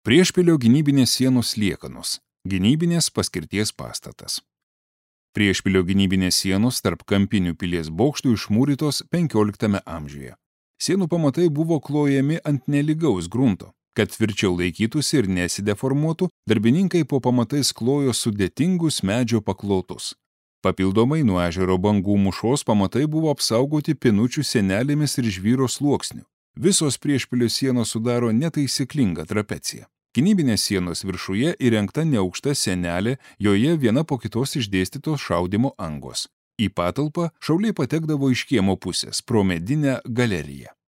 Priešpilio gynybinės sienos liekanos. Gynybinės paskirties pastatas. Priešpilio gynybinės sienos tarp kampinių pilies bokštų išmūrytos 15 amžiuje. Sienų pamatai buvo klojami ant nelygaus grunto. Kad tvirčiau laikytųsi ir nesideformuotų, darbininkai po pamatais klojo sudėtingus medžio paklotus. Papildomai nuo ežero bangų mūšos pamatai buvo apsaugoti pinučių sienelėmis ir žvyro sluoksniu. Visos priešpilio sienos sudaro netaisyklingą trapeciją. Gynybinės sienos viršuje įrengta neaukšta sienelė, joje viena po kitos išdėstytos šaudymo angos. Į patalpą šauliai patekdavo iš kiemo pusės pro medinę galeriją.